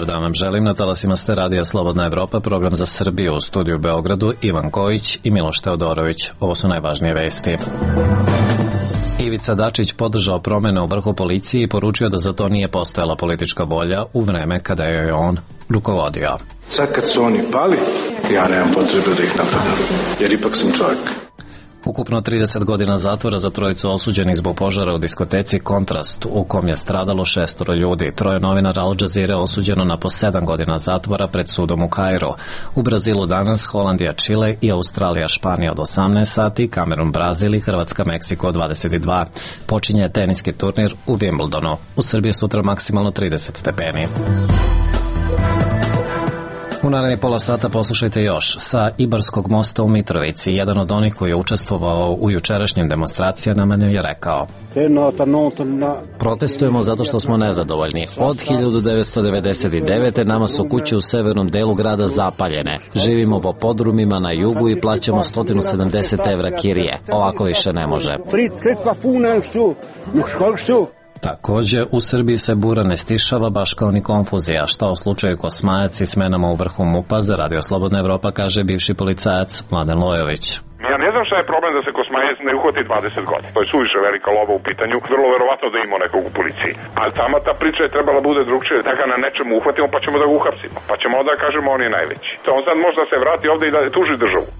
dan vam želim. Na talasima ste Radija Slobodna Evropa, program za Srbiju, u studiju u Beogradu Ivan Kojić i Miloš Teodorović. Ovo su najvažnije vesti. Ivica Dačić podržao promene u vrhu policije i poručio da za to nije postojala politička volja u vreme kada je on rukovodio. Sad kad su oni pali, ja nemam potrebe da ih napadam, jer ipak sam čovjek. Ukupno 30 godina zatvora za trojicu osuđenih zbog požara u diskoteci Kontrast, u kom je stradalo 6 ljudi. Troje novinara Al Jazeere osuđeno na po 7 godina zatvora pred sudom u Kairu. U Brazilu danas Holandija, Čile i Australija, Španija od 18 sati, Kamerun, Brazil i Hrvatska, Meksiko od 22. Počinje teniski turnir u Wimbledonu. U Srbiji sutra maksimalno 30 stepeni. U narednih pola sata poslušajte još. Sa Ibarskog mosta u Mitrovici, jedan od onih koji je učestvovao u jučerašnjim demonstracijama je rekao: protestujemo zato što smo nezadovoljni. Od 1999. nama su kuće u severnom delu grada zapaljene. Živimo po podrumima na jugu i plaćamo 170 evra kirije. Ovako više ne može. Takođe, u Srbiji se bura ne stišava baš kao ni konfuzija. Šta u slučaju Kosmajac i smenama u vrhu MUP-a, za Radio Slobodna Evropa kaže bivši policajac Mladen Lojović. Ja ne znam šta je problem da se Kosmajac ne uhvati 20 godina. To je suviše velika lova u pitanju. Vrlo verovatno da ima nekog u policiji. Ali tamo ta priča je trebala bude drugčije. Da ga na nečemu uhvatimo pa ćemo da ga uhapsimo. Pa ćemo onda kažemo on je najveći. To on sad možda se vrati ovde i da tuži državu.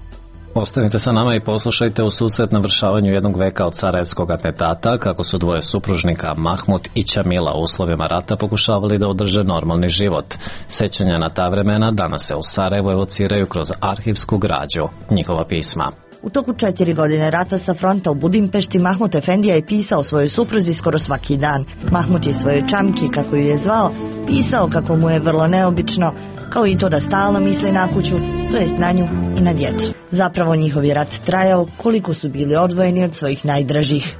Ostanite sa nama i poslušajte u susret navršavanju jednog veka od sarajevskog atentata, kako su dvoje supružnika Mahmut i Ćamila u uslovima rata pokušavali da održe normalni život. Sećanja na ta vremena danas se u Sarajevu evociraju kroz arhivsku građu, njihova pisma. U toku 4 godine rata sa fronta u Budimpešti Mahmut Efendija je pisao svojoj supruzi skoro svaki dan. Mahmut je svojoj čamki, kako ju je zvao, pisao kako mu je vrlo neobično, kao i to da stalno misli na kuću, to jest na nju i na djecu. Zapravo njihov je rat trajao koliko su bili odvojeni od svojih najdražih.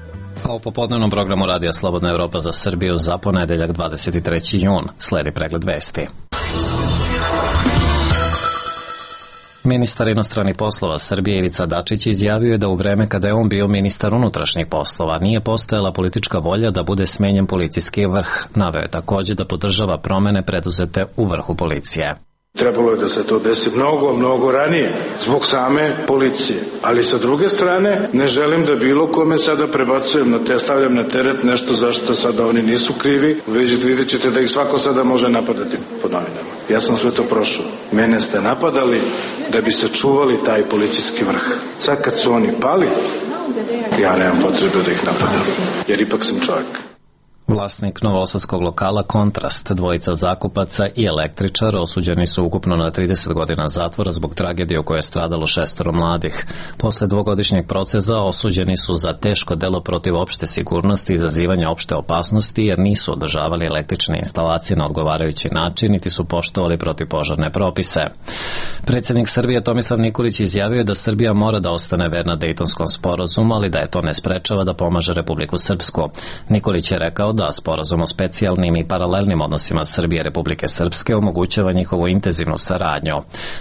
A u popodnevnom programu Radija Slobodna Evropa za Srbiju za ponedeljak 23. jun sledi pregled vesti. Ministar inostranih poslova Srbije Ivica Dačić izjavio je da u vreme kada je on bio ministar unutrašnjih poslova nije postojala politička volja da bude smenjen policijski vrh. Naveo je takođe da podržava promene preduzete u vrhu policije. Trebalo je da se to desi mnogo ranije, zbog same policije. Ali sa druge strane, ne želim da bilo kome sada prebacujem stavljam na teret nešto zašto sada oni nisu krivi, već vidjet ćete da ih svako sada može napadati po novinama. Ja sam sve to prošao. Mene ste napadali da bi sačuvali taj policijski vrh. Sad kad su oni pali, ja nemam potrebe da ih napadam, jer ipak sam čovjek. Vlasnik novosadskog lokala Kontrast, dvojica zakupaca i električar osuđeni su ukupno na 30 godina zatvora zbog tragedije u kojoj je stradalo 6 mladih. Posle dvogodišnjeg procesa osuđeni su za teško delo protiv opšte sigurnosti i izazivanja opšte opasnosti jer nisu održavali električne instalacije na odgovarajući način niti su poštovali protivpožarne propise. Predsjednik Srbije Tomislav Nikolić izjavio da Srbija mora da ostane verna Dejtonskom sporazumu, ali da je to ne sprečava da pomaže Republiku Srpsku. Nikolić je rekao da sporazum o specijalnim i paralelnim odnosima Srbije i Republike Srpske omogućava njihovu intenzivnu saradnju.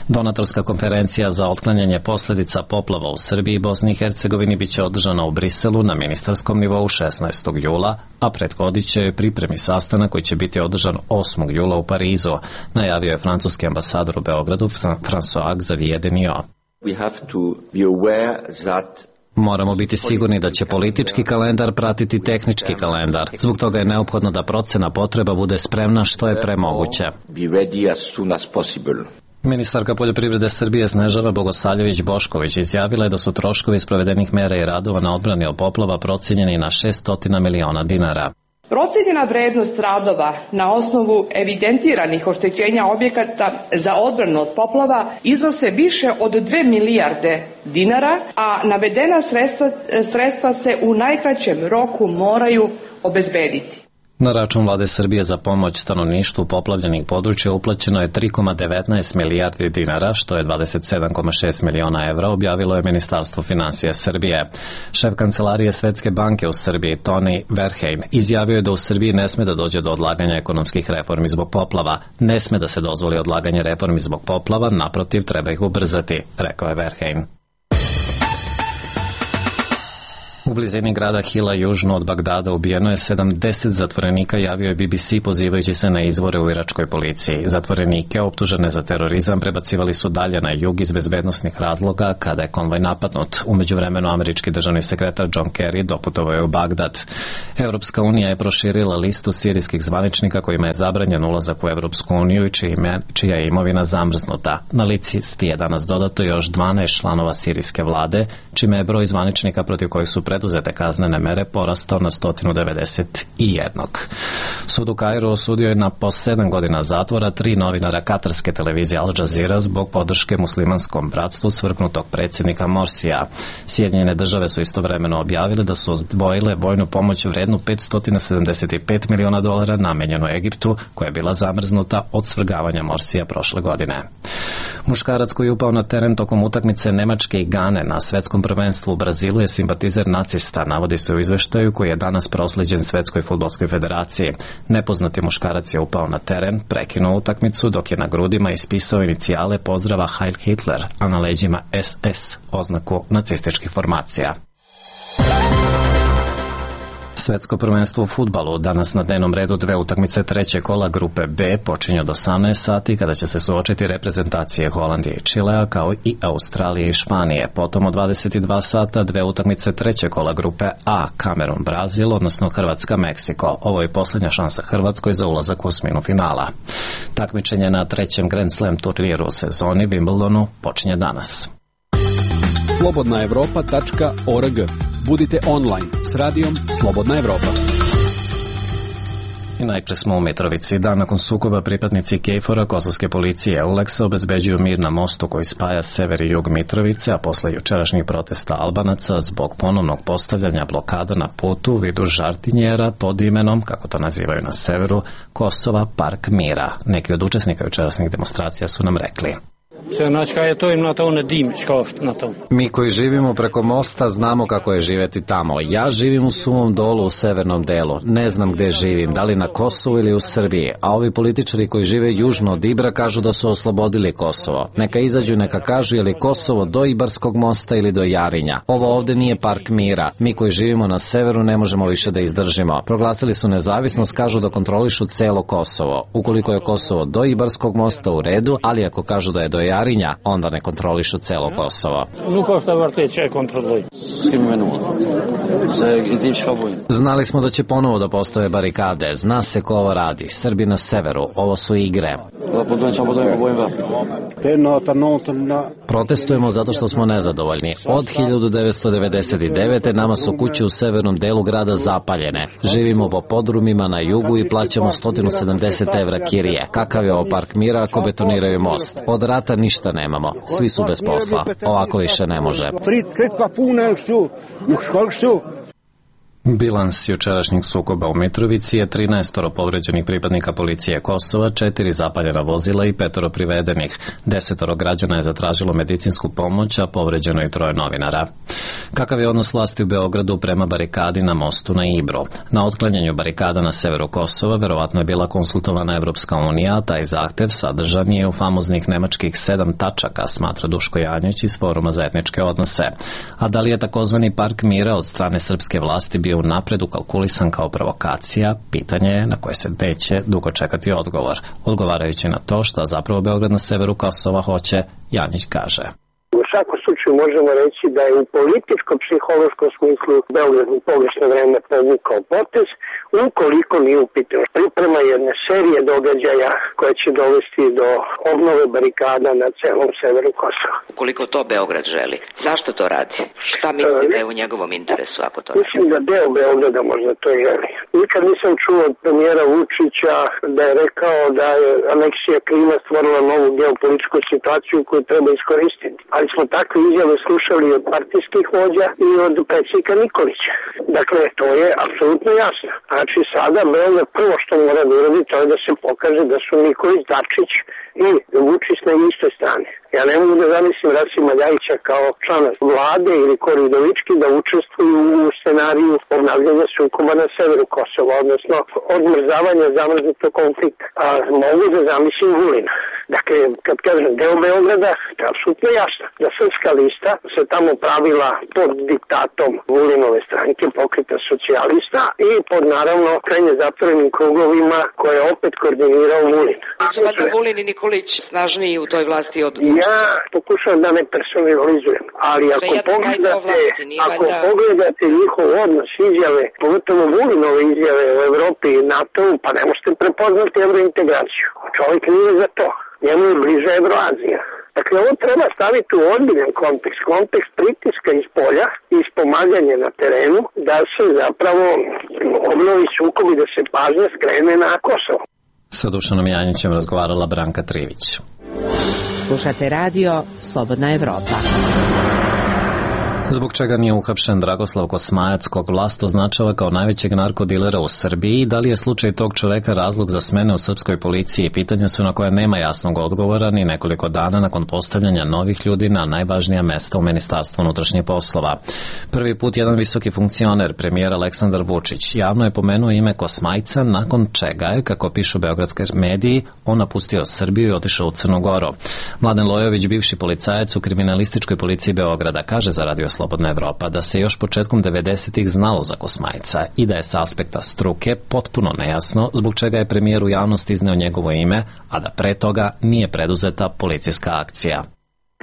Donatorska konferencija za otklanjanje posledica poplava u Srbiji i Bosni i Hercegovini biće održana u Briselu na ministarskom nivou 16. jula, a prethodit će joj pripremi sastanak koji će biti održan 8. jula u Parizu, najavio je francuski ambasador u Beogradu François Xavier Denio. Moramo biti sigurni da će politički kalendar pratiti tehnički kalendar. Zbog toga je neophodno da procena potreba bude spremna što je pre moguće. Ministarka poljoprivrede Srbije Snežana Bogosavljević-Bošković izjavila je da su troškovi sprovedenih mera i radova na odbrani od poplava procenjeni na 600 miliona dinara. Procenjena vrednost radova na osnovu evidentiranih oštećenja objekata za odbranu od poplava iznose više od 2 milijarde dinara, a navedena sredstva se u najkraćem roku moraju obezbediti. Na račun Vlade Srbije za pomoć stanovništvu poplavljenih područja uplaćeno je 3,19 milijardi dinara, što je 27,6 miliona evra, objavilo je Ministarstvo finansija Srbije. Šef kancelarije Svetske banke u Srbiji, Tony Verheyen, izjavio je da u Srbiji ne sme da dođe do odlaganja ekonomskih reformi zbog poplava. Ne sme da se dozvoli odlaganje reformi zbog poplava, naprotiv, treba ih ubrzati, rekao je Verheyen. U blizini grada Hila južno od Bagdada ubijeno je 70 zatvorenika, javio je BBC pozivajući se na izvore u iračkoj policiji. Zatvorenike optužene za terorizam prebacivali su dalje na jug iz bezbednosnih razloga kada je konvoj napadnut. U međuvremenu američki državni sekretar John Kerry doputovao je u Bagdad. Europska unija je proširila listu sirijskih zvaničnika kojima je zabranjen ulazak u Europsku uniju i čija je imovina zamrznuta. Na listi je danas dodato još 12 članova sirijske vlade, čime je broj zvaničnika protiv kojih su preduzete kaznene mere porastao na 191. Sud u Kairu osudio je na po 7 godina zatvora 3 novinara katarske televizije Al Jazeera zbog podrške muslimanskom bratstvu svrgnutog predsjednika Morsija. Sjedinjene države su istovremeno objavile da su odvojile vojnu pomoć vrednu $575 miliona namenjenu Egiptu, koja je bila zamrznuta od svrgavanja Morsija prošle godine. Muškarac koji je upao na teren tokom utakmice Nemačke i Gane na svetskom prvenstvu u Brazilu je simpatizer nacista, navodi se u izveštaju koji je danas proslijeđen Svetskoj fudbalskoj federaciji. Nepoznati muškarac je upao na teren, prekinuo utakmicu dok je na grudima ispisao inicijale pozdrava Heil Hitler, a na leđima SS, oznaku nacističkih formacija. Svetsko prvenstvo u fudbalu danas na dnevnom redu 2 utakmice trećeg kola grupe B počinju od 18 sati kada će se suočiti reprezentacije Holandije i Čilea kao i Australije i Španije. Potom od 22 sata 2 utakmice trećeg kola grupe A, Kamerun, Brazil, odnosno Hrvatska, Meksiko. Ovo je posljednja šansa Hrvatskoj za ulazak u osminu finala. Takmičenje na trećem Grand Slam turniru u sezoni Wimbledonu počinje danas. slobodnaevropa.org. Budite online s radijom Slobodna Evropa. I najpre smo u Mitrovici. Dan nakon sukoba pripadnici KFOR-a kosovske policije EULEX-a obezbeđuju mir na mostu koji spaja sever i jug Mitrovice, a posle jučerašnjih protesta Albanaca zbog ponovnog postavljanja blokada na putu u vidu žartinjera pod imenom, kako to nazivaju na severu, Kosova Park mira. Neki od učesnika jučerašnjih demonstracija su nam rekli. Mi koji živimo preko mosta znamo kako je živeti tamo. Ja živim u Suvom Dolu u severnom delu. Ne znam gde živim, da li na Kosovu ili u Srbiji. A ovi političari koji žive južno od Ibra kažu da su oslobodili Kosovo. Neka izađu i neka kažu je li Kosovo do Ibarskog mosta ili do Jarinja. Ovo ovde nije park mira. Mi koji živimo na severu ne možemo više da izdržimo. Proglasili su nezavisnost, kažu da kontrolišu celo Kosovo. Ukoliko je Kosovo do Ibarskog mosta u redu, ali ako kažu da je do Jarinja, onda ne kontrolišu celo Kosovo. Znali smo da će ponovo da postave barikade. Zna se ko ovo radi. Srbi na severu. Ovo su igre. Protestujemo zato što smo nezadovoljni. Od 1999. nama su kuće u severnom delu grada zapaljene. Živimo po podrumima na jugu i plaćamo 170 evra kirije. Kakav je ovo park mira ako betoniraju most? Od rata ništa nemamo. Svi su bez posla. Ovako više ne može. Bilans jučerašnjeg sukoba u Mitrovici je 13 povređenih pripadnika policije Kosova, 4 zapaljena vozila i 5 privedenih. 10 građana je zatražilo medicinsku pomoć, a povređeno i 3 novinara. Kakav je odnos vlasti u Beogradu prema barikadi na mostu na Ibru? Na otklanjanju barikada na severu Kosova verovatno je bila konsultovana Evropska unija, a taj zahtev sadržan je u famoznih nemačkih 7 tačaka, smatra Duško Janjić iz Foruma za etničke odnose. A da li je takozvani park mira od strane srpske vlasti bio unapred ukalkulisan kao provokacija, pitanje je na koje se neće dugo čekati odgovor. Odgovarajući na to šta zapravo Beograd na severu Kosova hoće, Janjić kaže. U svakom slučaju možemo reći da je u političko-psihološkom smislu Beograd u pogrešno vreme povukao potez, ukoliko nije u pitanju priprema jedne serije događaja koje će dovesti do obnove barikada na celom severu Kosova. Ukoliko to Beograd želi, zašto to radi? Šta misli da je u njegovom interesu ako to radi? Mislim da deo Beograda možda to želi. Nikad nisam čuo od premijera Vučića da je rekao da je aneksija Krima stvorila novu geopolitičku situaciju koju treba iskoristiti. Ali smo takve izjave slušali od partijskih vođa i od predsjednika Nikolića. Dakle, to je apsolutno jasno. Znači, sada Beograd prvo što mora da uradi, to je da se pokaže da su Nikolić, Dačić i Vučić na istoj strani. Ja ne mogu da zamislim Rasima Ljajića kao člana vlade ili Koridovički da učestvuju u scenariju obnavljanja sukoba na severu Kosova, odnosno odmrzavanja zamrznutog konflikta. A mogu da zamislim Vulina. Dakle, kad kažem deo Beograda, to je apsolutno jasno. Da Srpska lista se tamo pravila pod diktatom Vulinove stranke, Pokreta socijalista i pod naravno krajnje zatvorenim krugovima koje je opet koordinirao Vulin. Nisu valjda Vulin i Nikolić snažniji u toj vlasti od... Ja pokušavam da ne personalizujem, ali ako pogledate njihov odnos, izjave, pogotovo Vulinove izjave u Evropi i NATO-u, pa ne možete prepoznati evrointegraciju. Čovjek nije za to. Njemu je bliže Evroazija. Dakle, ovo treba staviti u ozbiljan kontekst pritiska iz polja i pomaganje na terenu da se zapravo obnovi sukob i da se pažnja skrene na Kosovo. Sa Dušanom Janjićem razgovarala Branka Trivić. Slušate radio Slobodna Evropa. Zbog čega nije uhapšen Dragoslav Kosmajac, kog vlast označava kao najvećeg narkodilera u Srbiji? Da li je slučaj tog čoveka razlog za smene u srpskoj policiji? Pitanja su na koje nema jasnog odgovora ni nekoliko dana nakon postavljanja novih ljudi na najvažnija mesta u Ministarstvu unutrašnjih poslova. Prvi put jedan visoki funkcioner, premijer Aleksandar Vučić, javno je pomenuo ime Kosmajca, nakon čega je, kako pišu beogradske mediji, on napustio Srbiju i otišao u Crnu Goru. Mladen Lojović, bivši policajac u kriminalističkoj policiji Beograda, kaže za Radio Slobodna Evropa da se još početkom 90-ih znalo za Kosmajca i da je sa aspekta struke potpuno nejasno zbog čega je premijer u javnosti izneo njegovo ime, a da pre toga nije preduzeta policijska akcija.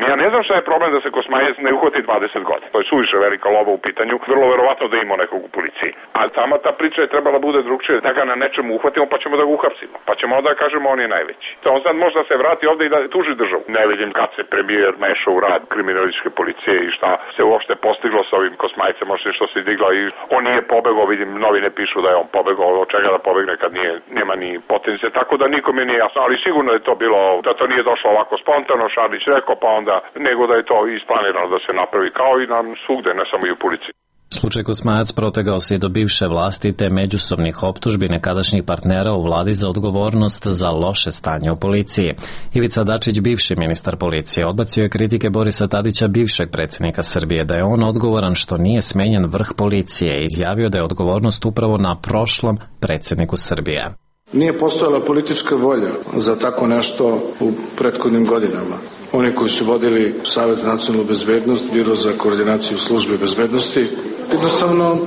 Ja ne znam šta je problem da se Kosmajac ne uhvati 20 godina. To je suviše velika lova u pitanju. Vrlo verovatno da ima nekog u policiji. A sama ta priča je trebala bude drugčije. Da ga na nečemu uhvatimo pa ćemo da ga uhapsimo. Pa ćemo onda kažemo on je najveći. To on sad možda se vrati ovde i da tuži državu. Ne vidim kad se premijer mešao u rad kriminalističke policije i šta se uopšte postiglo sa ovim Kosmajcem, možda što se digla i on nije pobegao, vidim novine pišu da je on pobegao, od čega da pobegne kad nema ni potencije. Tako da nikome nije jasno, ali sigurno je to bilo, da to nije došlo ovako spontano, Šarlić rekao pa onda nego da je to isplanirano da se napravi kao i na svugde, ne samo i u policiji. Slučaj Kosmajac protegao se i do bivše vlasti te međusobnih optužbi nekadašnjih partnera u vladi za odgovornost za loše stanje u policiji. Ivica Dačić, bivši ministar policije, odbacio je kritike Borisa Tadića, bivšeg predsjednika Srbije, da je on odgovoran što nije smenjen vrh policije i izjavio da je odgovornost upravo na prošlom predsjedniku Srbije. Nije postojala politička volja za tako nešto u prethodnim godinama. Oni koji su vodili Savet za nacionalnu bezbednost, Biro za koordinaciju službe bezbednosti, jednostavno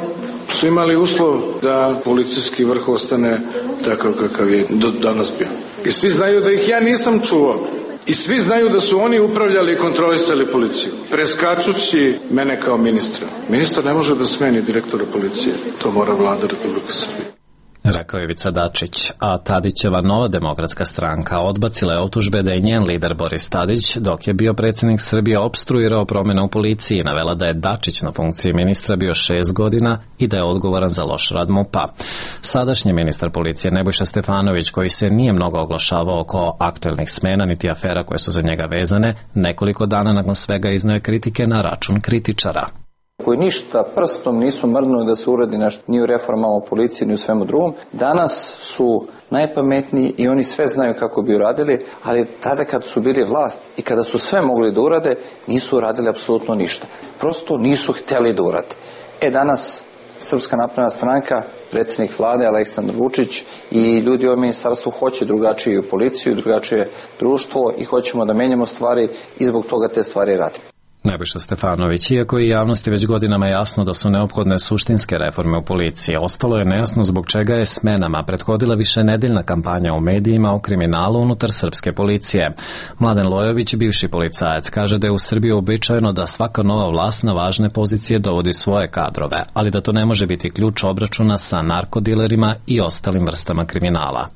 su imali uslov da policijski vrh ostane takav kakav je do danas bio. I svi znaju da ih ja nisam čuvao. I svi znaju da su oni upravljali i kontrolisali policiju, preskačući mene kao ministra. Ministar ne može da smeni direktora policije. To mora vlada Republike Srbije. Rekao je Ivica Dačić, a Tadićeva Nova demokratska stranka odbacila je optužbe da je njen lider Boris Tadić, dok je bio predsjednik Srbije, opstruirao promjene u policiji i navela da je Dačić na funkciji ministra bio 6 godina i da je odgovoran za loš rad MUP-a. Sadašnji ministar policije Nebojša Stefanović, koji se nije mnogo oglašavao oko aktuelnih smena niti afera koje su za njega vezane, nekoliko dana nakon svega izneo je kritike na račun kritičara. Koji ništa prstom nisu mrdnuli da se uradi nešto ni u reformama u policiji ni u svemu drugom. Danas su najpametniji i oni sve znaju kako bi uradili, ali tada kad su bili vlast i kada su sve mogli da urade, nisu uradili apsolutno ništa. Prosto nisu hteli da urade. Danas Srpska napredna stranka, predsjednik vlade Aleksandar Vučić i ljudi u ministarstvu hoće drugačiju policiju, drugačije društvo i hoćemo da menjamo stvari i zbog toga te stvari radimo. Nebojša Stefanović, iako je javnosti već godinama jasno da su neophodne suštinske reforme u policiji, ostalo je nejasno zbog čega je smenama prethodila višenedeljna kampanja u medijima o kriminalu unutar srpske policije. Mladen Lojović, bivši policajac, kaže da je u Srbiji uobičajeno da svaka nova vlast na važne pozicije dovodi svoje kadrove, ali da to ne može biti ključ obračuna sa narkodilerima i ostalim vrstama kriminala.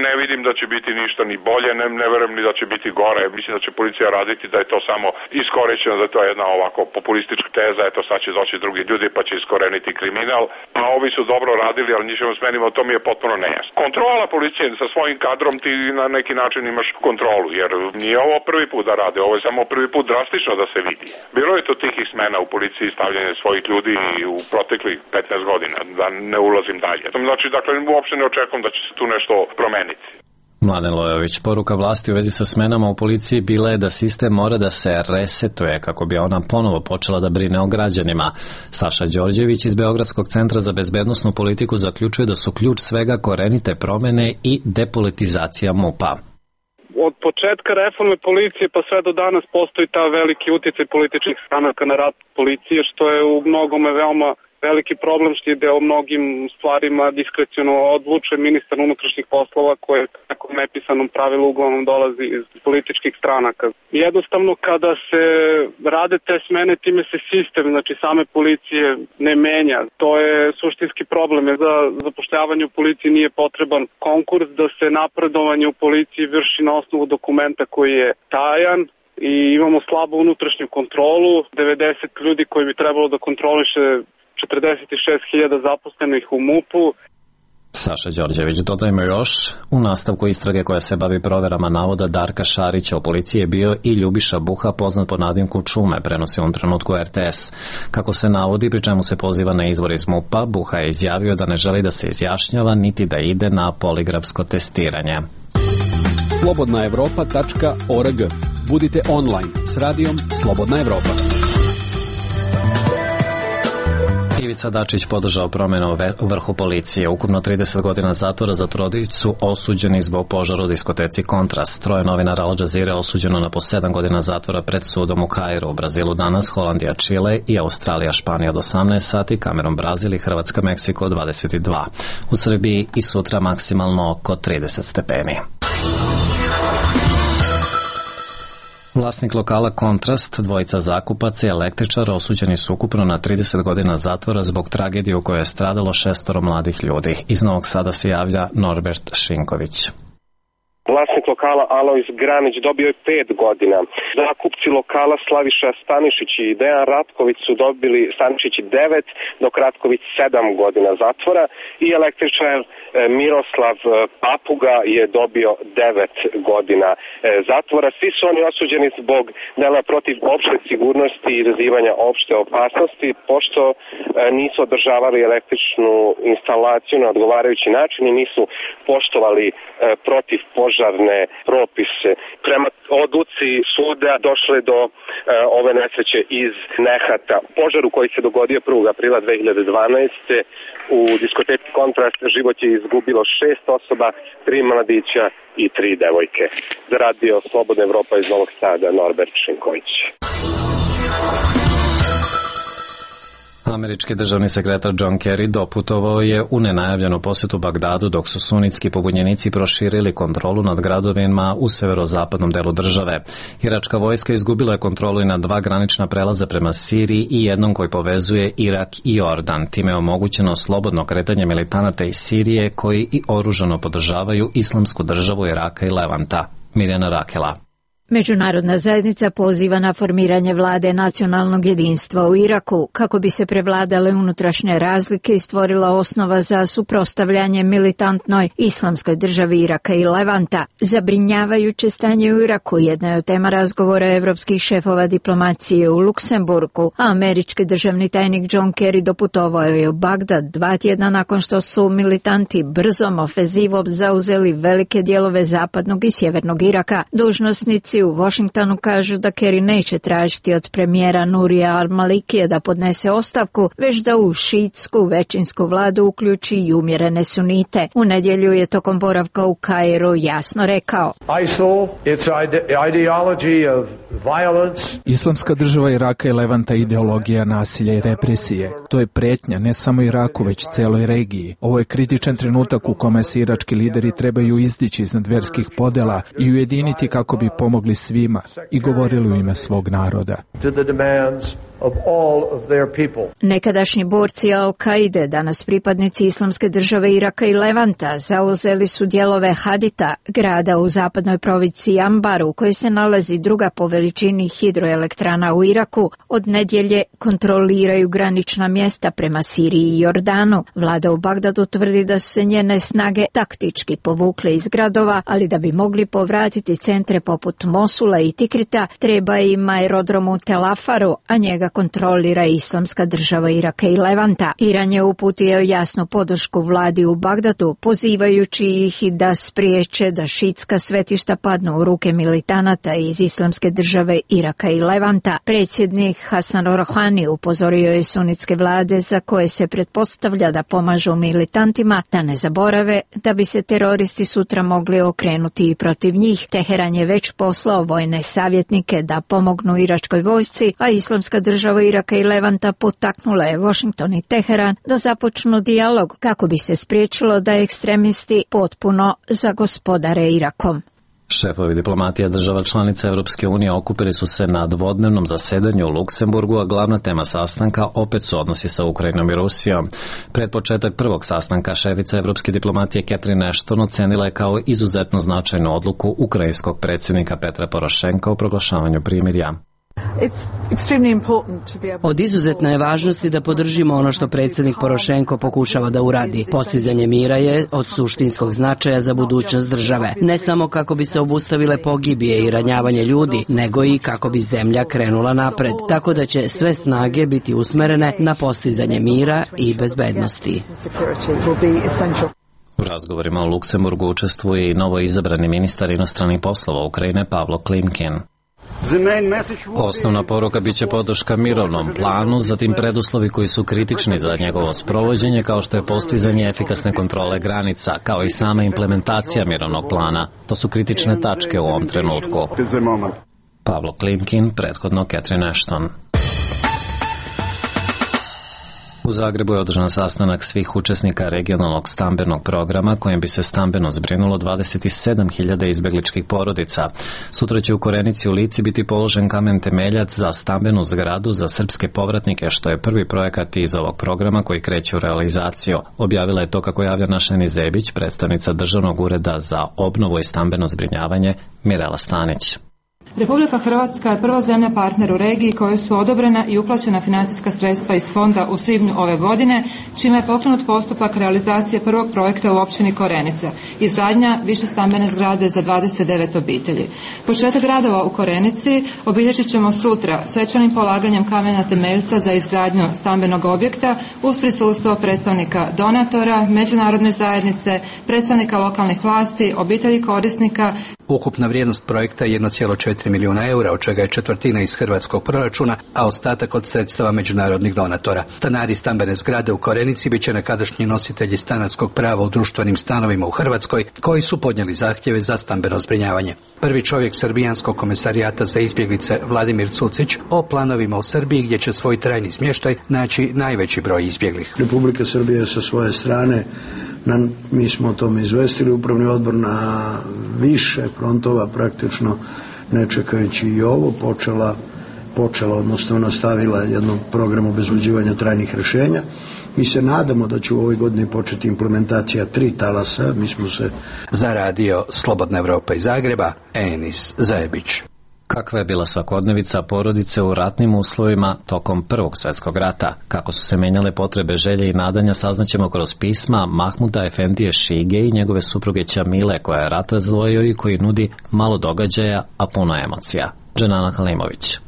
Ne vidim da će biti ništa ni bolje, ne verujem ni da će biti gore. Mislim da će policija raditi da je to samo iskorišćeno, da je to jedna ovako populistička teza, eto sad će doći drugi ljudi pa će iskoreniti kriminal, a ovi su dobro radili, ali njih ćemo smenimo, to mi je potpuno nejasno. Kontrola policije sa svojim kadrom, ti na neki način imaš kontrolu, jer nije ovo prvi put da rade, ovo je samo prvi put drastično da se vidi. Bilo je to tihih smena u policiji, stavljanje svojih ljudi u proteklih 15 godina, da ne ulazim dalje. Znači, dakle, uopšte ne očekujem da će se tu nešto promeniti. Mladen Lojović, poruka vlasti u vezi sa smenama u policiji bila je da sistem mora da se resetuje kako bi ona ponovo počela da brine o građanima. Saša Đorđević iz Beogradskog centra za bezbednosnu politiku zaključuje da su ključ svega korenite promene i depolitizacija MUP-a. od početka reforme policije pa sve do danas postoji ta veliki uticaj političkih stranaka na rad policije, što je u mnogome veoma veliki problem, što ide o mnogim stvarima diskreciono odluče ministar unutrašnjih poslova koje tako nepisanom pravilu uglavnom dolazi iz političkih stranaka. Jednostavno kada se rade te smene, time se sistem, znači same policije ne menja. To je suštinski problem, jer za zapošljavanje u policiji nije potreban konkurs, da se napredovanje u policiji vrši na osnovu dokumenta koji je tajan i imamo slabu unutrašnju kontrolu. 90 ljudi koji bi trebalo da kontroliše 46.000 zaposlenih u MUP-u. Saša Đorđević, dodajmo još, u nastavku istrage koja se bavi proverama navoda Darka Šarića u policiji je bio i Ljubiša Buha, poznat pod nadimku Čume, prenosi u trenutku RTS. Kako se navodi, pri čemu se poziva na izvor iz MUP-a, Buha je izjavio da ne želi da se izjašnjava niti da ide na poligrafsko testiranje. slobodnaevropa.org. Budite online s radijom Slobodna Evropa. Ivica Dačić podržao promjenu u vrhu policije. Ukupno 30 godina zatvora za trojicu osuđeni zbog požara u diskoteci Kontrast. Troje novinara Al Jazeere osuđeno na po 7 godina zatvora pred sudom u Kairu. U Brazilu danas, Holandija, Čile i Australija, Španija od 18 sati, Kamerun, Brazil i Hrvatska, Meksiko od 22. U Srbiji i sutra maksimalno oko 30 stepeni. Vlasnik lokala Kontrast, dvojica zakupaca i električar osuđeni su ukupno na 30 godina zatvora zbog tragedije u kojoj je stradalo 6 mladih ljudi. Iz Novog Sada se javlja Norbert Šinković. Vlasnik lokala Alojz Granić dobio je 5 godina. Zakupci lokala Slaviša Stanišić i Dejan Ratković su dobili, Stanišić 9, dok Ratković 7 godina zatvora i električar Miroslav Papuga je dobio 9 godina zatvora. Svi su oni osuđeni zbog dela protiv opšte sigurnosti i izazivanja opšte opasnosti, pošto nisu održavali električnu instalaciju na odgovarajući način i nisu poštovali protiv požarne propise. Prema odluci suda došlo je do ove nesreće iz nehata. Požaru koji se dogodio 1. aprila 2012. u diskoteci Kontrast život je izgubilo 6 osoba, 3 mladića i 3 devojke. Za radio Slobodna Evropa iz Novog Sada, Norbert Šinković. Američki državni sekretar John Kerry doputovao je u nenajavljenu posjetu Bagdadu dok su sunitski pobunjenici proširili kontrolu nad gradovima u severozapadnom delu države. Iračka vojska izgubila je kontrolu i na 2 granična prelaza prema Siriji i jednom koji povezuje Irak i Jordan. Time je omogućeno slobodno kretanje militanata iz Sirije koji i oružano podržavaju Islamsku državu Iraka i Levanta. Mirjana Rakela. Međunarodna zajednica poziva na formiranje vlade nacionalnog jedinstva u Iraku kako bi se prevladale unutrašnje razlike i stvorila osnova za suprotstavljanje militantnoj Islamskoj državi Iraka i Levanta. Zabrinjavajuće stanje u Iraku jedna je od tema razgovora evropskih šefova diplomacije u Luksemburgu, a američki državni tajnik John Kerry doputovao je u Bagdad 2 tjedna nakon što su militanti brzom ofenzivom zauzeli velike dijelove zapadnog i sjevernog Iraka. Dužnosnici u Washingtonu kažu da Kerry neće tražiti od premijera Nurija al-Malikija da podnese ostavku, već da u šiitsku većinsku vladu uključi i umjerene sunite. U nedjelju je tokom boravka u Kairu jasno rekao: Islamska država Iraka i Levanta ideologija nasilja i represije. To je prijetnja ne samo Iraku, već celoj regiji. Ovo je kritičan trenutak u kome se irački lideri trebaju izdići iznad verskih podela i ujediniti kako bi pomogli svima i govorili u ime svog naroda. Nekadašnji borci Al-Kaide, danas pripadnici Islamske države Iraka i Levanta, zauzeli su dijelove Hadita, grada u zapadnoj provinciji Anbar, u kojoj se nalazi druga po veličini hidroelektrana u Iraku. Od nedjelje kontroliraju granična mjesta prema Siriji i Jordanu. Vlada u Bagdadu tvrdi da su se njene snage taktički povukle iz gradova, ali da bi mogli povratiti centre poput Mosula i Tikrita, treba im aerodrom u Tel Afaru, a njega ga kontrolira Islamska država Iraka i Levanta. Iran je uputio jasnu podršku vladi u Bagdadu, pozivajući ih da spriječe da šitska svetišta padnu u ruke militanata iz Islamske države Iraka i Levanta. Predsjednik Hasan Rouhani upozorio je sunitske vlade za koje se pretpostavlja da pomažu militantima da ne zaborave da bi se teroristi sutra mogli okrenuti i protiv njih. Teheran je već poslao vojne savjetnike da pomognu iračkoj vojsci, a Islamska država Iraka i Levanta potaknula je Washington i Teheran da započnu dijalog kako bi se spriječilo da ekstremisti potpuno zagospodare Irakom. Šefovi diplomatija država članica Evropske unije okupili su se na dvodnevnom zasedanju u Luksemburgu, a glavna tema sastanka opet su odnosi sa Ukrajinom i Rusijom. Pred početak prvog sastanka šefica evropske diplomatije Catherine Ashton ocenila je kao izuzetno značajnu odluku ukrajinskog predsjednika Petra Porošenka o proglašavanju primirja. Od izuzetne je važnosti da podržimo ono što predsjednik Porošenko pokušava da uradi. Postizanje mira je od suštinskog značaja za budućnost države. Ne samo kako bi se obustavile pogibije i ranjavanje ljudi, nego i kako bi zemlja krenula napred. Tako da će sve snage biti usmerene na postizanje mira i bezbednosti. U razgovorima u Luksemburgu učestvuje i novo izabrani ministar inostranih poslova Ukrajine Pavlo Klimkin. Osnovna poruka biće podrška mirovnom planu, zatim preduslovi koji su kritični za njegovo sprovođenje, kao što je postizanje efikasne kontrole granica, kao i sama implementacija mirovnog plana. To su kritične tačke u ovom trenutku. Pavlo Klimkin, prethodno Catherine Ashton. U Zagrebu je održan sastanak svih učesnika regionalnog stambenog programa kojim bi se stambeno zbrinulo 27.000 izbegličkih porodica. Sutra će u Korenici u Lici biti položen kamen temeljac za stambenu zgradu za srpske povratnike, što je prvi projekat iz ovog programa koji kreće u realizaciju. Objavila je to, kako javlja Našeni Zebić, predstavnica Državnog ureda za obnovu i stambeno zbrinjavanje Mirela Stanić. Republika Hrvatska je prva zemlja partner u regiji kojoj su odobrena i uplaćena financijska sredstva iz fonda u svibnju ove godine, čime je pokrenut postupak realizacije prvog projekta u općini Korenica, izgradnja višestambene zgrade za 29 obitelji. Početak radova u Korenici obilježit ćemo sutra svečanim polaganjem kamena temeljca za izgradnju stambenog objekta uz prisustvo predstavnika donatora, međunarodne zajednice, predstavnika lokalnih vlasti, obitelji korisnika. Ukupna vrijednost projekta je 1,4 milijuna eura, od čega je četvrtina iz hrvatskog proračuna, a ostatak od sredstava međunarodnih donatora. Stanari stambene zgrade u Korenici bit će nekadašnji nositelji stanarskog prava u društvenim stanovima u Hrvatskoj, koji su podnijeli zahtjeve za stambeno zbrinjavanje. Prvi čovjek Srbijanskog komesarijata za izbjeglice Vladimir Cucić o planovima u Srbiji, gdje će svoj trajni smještaj naći najveći broj izbjeglih. Republika Srbija sa svoje strane, mi smo o tome izvestili upravni odbor, na više frontova, praktično ne čekajući i ovo, počela, odnosno nastavila jednom programu obezbeđivanja trajnih rješenja. Mi se nadamo da će u ovoj godini početi implementacija 3 talasa. Mi smo se... Za radio Slobodna Evropa iz Zagreba, Enis Zajebić. Kakva je bila svakodnevica porodice u ratnim uslovima tokom Prvog svjetskog rata? Kako su se menjale potrebe, želje i nadanja, saznaćemo kroz pisma Mahmuda Efendije Šige i njegove supruge Ćamile, koja je rat razdvojio i koji nudi malo događaja, a puno emocija. Dženana Halimović.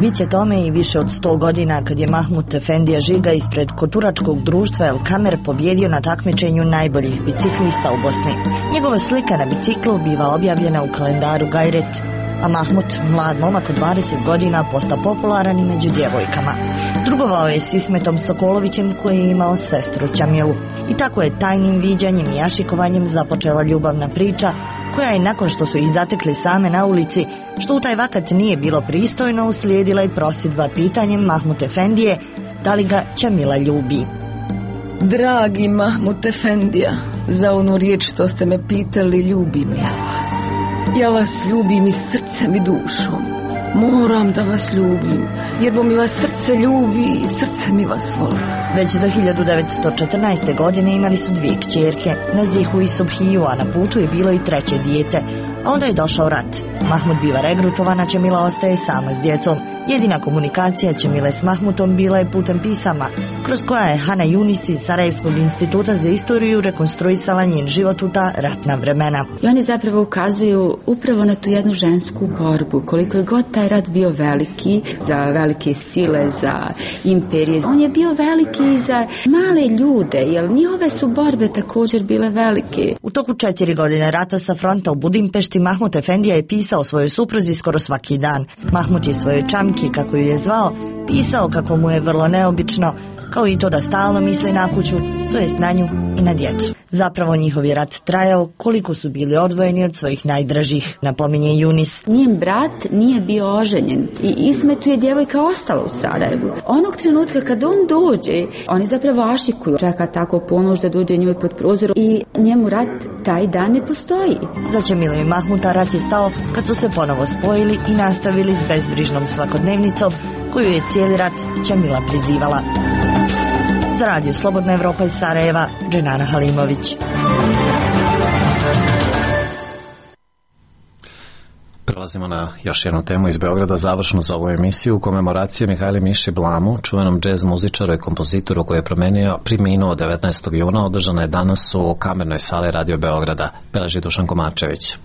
Biće tome i više od 100 godina kad je Mahmud Efendija Žiga ispred koturačkog društva El Kamer pobjedio na takmičenju najboljih biciklista u Bosni. Njegova slika na biciklu biva objavljena u kalendaru Gajret, a Mahmud, mlad momak od 20 godina, postao popularan i među djevojkama. Drugovao je s Ismetom Sokolovićem, koji je imao sestru Ćamilu. I tako je tajnim viđanjem i jašikovanjem započela ljubavna priča, koja je, nakon što su ih zatekli same na ulici, što u taj vakat nije bilo pristojno, uslijedila i prosjedba pitanjem Mahmud Efendije da li ga Ćamila ljubi. Dragi Mahmud Efendija, za onu riječ što ste me pitali, ljubim ja vas. Ja vas ljubim i srcem i dušom. Moram da vas ljubim, jer bo mi vas srce ljubi i srce mi vas voli. Već do 1914. godine imali su 2 kćerke, Nazihu i Subhiju, a na putu je bilo i 3. dijete, A onda je došao rat. Mahmut biva regrutovana, Ćemila ostaje sama s djecom. Jedina komunikacija Ćemile s Mahmutom bila je putem pisama, kroz koja je Hana Junis iz Sarajevskog instituta za istoriju rekonstruisala njen život u ta ratna vremena. I oni zapravo ukazuju upravo na tu jednu žensku borbu, koliko je god taj rat bio veliki za velike sile, za imperije. On je bio veliki i za male ljude, jer njihove su borbe također bile velike. U toku 4 godine rata sa fronta u Budimpešti Mahmut Efendija je pisao svojoj supruzi skoro svaki dan. Mahmut je svojoj čamki, kako ju je zvao, pisao kako mu je vrlo neobično, kao i to da stalno misli na kuću, to jest na nju i na djecu. Zapravo njihov je rat trajao koliko su bili odvojeni od svojih najdražih, napominje Junis. Njen brat nije bio oženjen i Ismetu je djevojka ostala u Sarajevu. Onog trenutka kad on dođe, oni zapravo ašikuju, čeka tako ponoć da dođe njoj pod prozor i njemu rat taj dan ne postoji. Za Ćemilu i Mahmuta rat je stao kad su se ponovo spojili i nastavili s bezbrižnom svakodnevnicom koju je cijeli rat Ćemila prizivala. Za Radio Slobodna Evropa iz Sarajeva, Dženana Halimović. Prelazimo na još jednu temu iz Beograda, završnu za ovu emisiju. Komemoracija Mihajli Miši Blamu, čuvenom džez muzičaru i kompozitoru koji je preminuo 19. juna, održana je danas u Kamernoj sali Radio Beograda. Beleži Dušan Komarčević.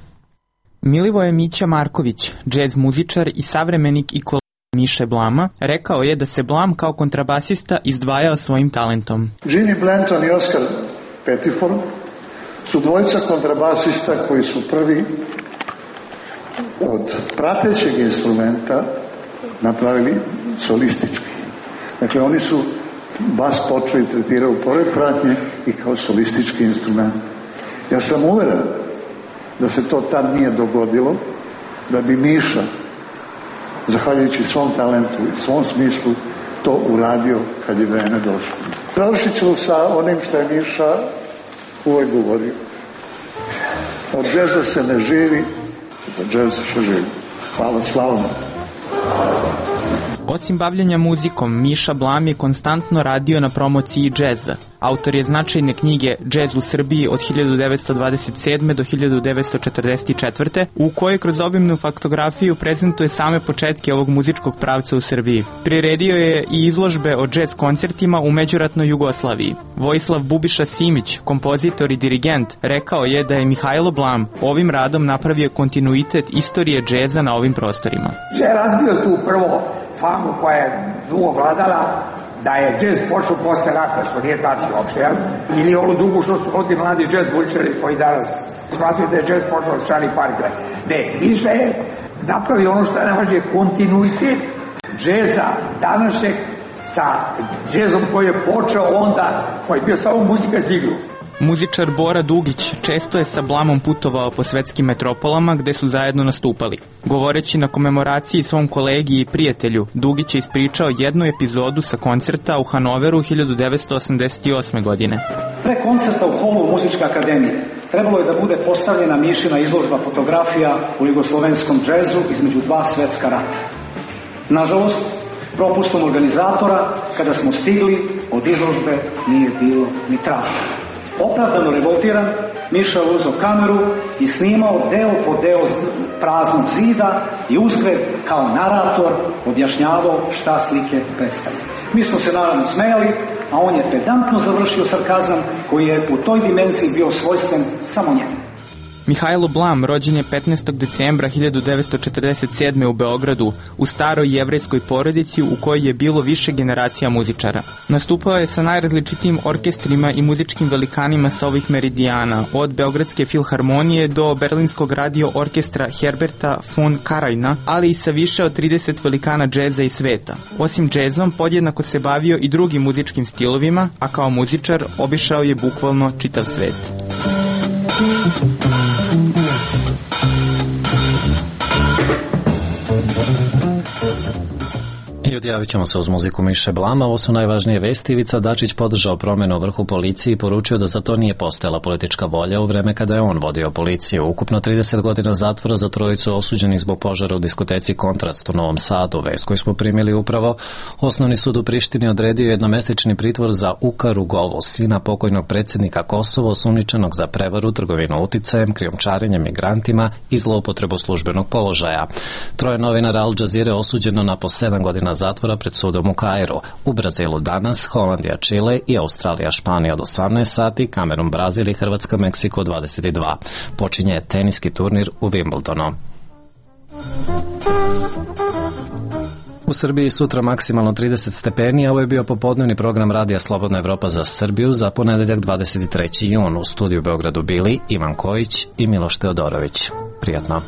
Milivoje Mića Marković, džez muzičar i savremenik i kolega Miše Blama, rekao je da se Blam kao kontrabasista izdvajao svojim talentom. Ginny Blanton i Oscar Pettiford su dvojica kontrabasista koji su prvi od pratećeg instrumenta napravili solistički. Dakle, oni su bas počeli tretirao pored pratnje i kao solistički instrument. Ja sam uveren da se to tad nije dogodilo, da bi Miša, zahvaljujući svom talentu i svom smislu, to uradio kad je vreme došlo. Završit ću sa onim što je Miša uvek govorio. Od džeza se ne živi, za džez se živi. Hvala, slavno. Osim bavljenja muzikom, Miša Blam je konstantno radio na promociji džeza. Autor je značajne knjige Džez u Srbiji od 1927. do 1944. u kojoj kroz obimnu faktografiju prezentuje same početke ovog muzičkog pravca u Srbiji. Priredio je i izložbe o džez koncertima u međuratnoj Jugoslaviji. Vojislav Bubiša Simić, kompozitor i dirigent, rekao je da je Mihajlo Blam ovim radom napravio kontinuitet istorije džeza na ovim prostorima. Je razbio tu prvo famu koja je dugo vladala, da je džez počeo posle rata, što nije tačno uopšte, ili onu drugu što su ovdje mladi džez bučari koji danas smatruju da je džez počeo od Charlie Parkera. Ne, Miša je napravio ono što je najvažnije, kontinuitet džeza današnjeg sa džezom koji je počeo onda, koji je bio samo muzika za igru. Muzičar Bora Dugić često je sa Blamom putovao po svetskim metropolama gde su zajedno nastupali. Govoreći na komemoraciji svom kolegi i prijatelju, Dugić je ispričao jednu epizodu sa koncerta u Hanoveru 1988. godine. Pre koncerta u holu Muzičke akademije trebalo je da bude postavljena Mišina izložba fotografija u jugoslovenskom džezu između dva svetska rata. Nažalost, propustom organizatora, kada smo stigli, od izložbe nije bilo ni traga. Opravdano revoltiran, Miša je uzeo kameru i snimao deo po deo praznog zida i uzgred kao narator objašnjavao šta slike predstavljaju. Mi smo se naravno smejali, a on je pedantno završio sarkazam koji je u toj dimenziji bio svojstven samo njemu. Mihajlo Blam rođen je 15. decembra 1947. u Beogradu, u staroj jevrejskoj porodici u kojoj je bilo više generacija muzičara. Nastupao je sa najrazličitijim orkestrima i muzičkim velikanima sa ovih meridijana, od Beogradske filharmonije do Berlinskog radio orkestra Herberta von Karaina, ali i sa više od 30 velikana džeza i sveta. Osim džezom, podjednako se bavio i drugim muzičkim stilovima, a kao muzičar obišao je bukvalno čitav svet. odjavit ćemo se uz muziku Miše Blama. Ovo su najvažnije vesti. Ivica Dačić podržao promjenu u vrhu policije i poručio da za to nije postojala politička volja u vreme kada je on vodio policiju. Ukupno 30 godina zatvora za trojicu osuđenih zbog požara u diskoteci Kontrast u Novom Sadu. Vest koju smo primili upravo. Osnovni sud u Prištini odredio jednomesečni pritvor za Uka Rugovu, sina pokojnog predsjednika Kosova, osumnjičenog za prevaru, trgovinu uticajem, krijumčarenje migrantima i zloupotrebu službenog položaja. Troje novinara Al Jazeere osuđeno na po 7 godina zatvora pred sudom u Kairu. U Brazilu danas, Holandija, Čile i Australija, Španija od 18 sati, Kamerun, Brazil i Hrvatska, Meksiko 22. Počinje teniski turnir u Wimbledonu. U Srbiji sutra maksimalno 30 stepeni, a ovo je bio popodnevni program Radija Slobodna Evropa za Srbiju za ponedeljak 23. jun. U studiju u Beogradu bili Ivan Kojić i Miloš Teodorović. Prijatno.